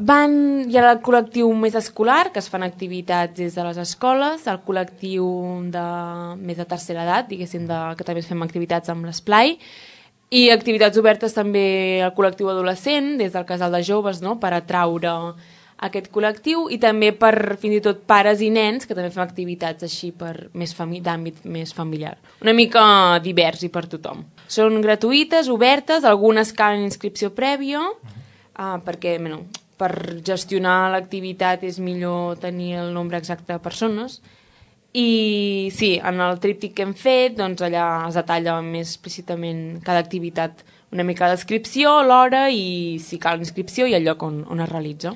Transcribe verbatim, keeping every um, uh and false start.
Van, hi ha el col·lectiu més escolar, que es fan activitats des de les escoles, el col·lectiu de més de tercera edat, diguéssim, de, que també fem activitats amb l'esplai, i activitats obertes també al col·lectiu adolescent, des del casal de joves, no?, per atraure aquest col·lectiu, i també per, fins i tot, pares i nens, que també fem activitats així per més d'àmbit més familiar. Una mica divers i per tothom. Són gratuïtes, obertes, algunes calen inscripció prèvia, uh, perquè, bueno, per gestionar l'activitat és millor tenir el nombre exacte de persones. I sí, en el tríptic que hem fet, doncs allà es detalla més explícitament cada activitat, una mica la descripció, l'hora i si cal inscripció i el lloc on, on es realitza.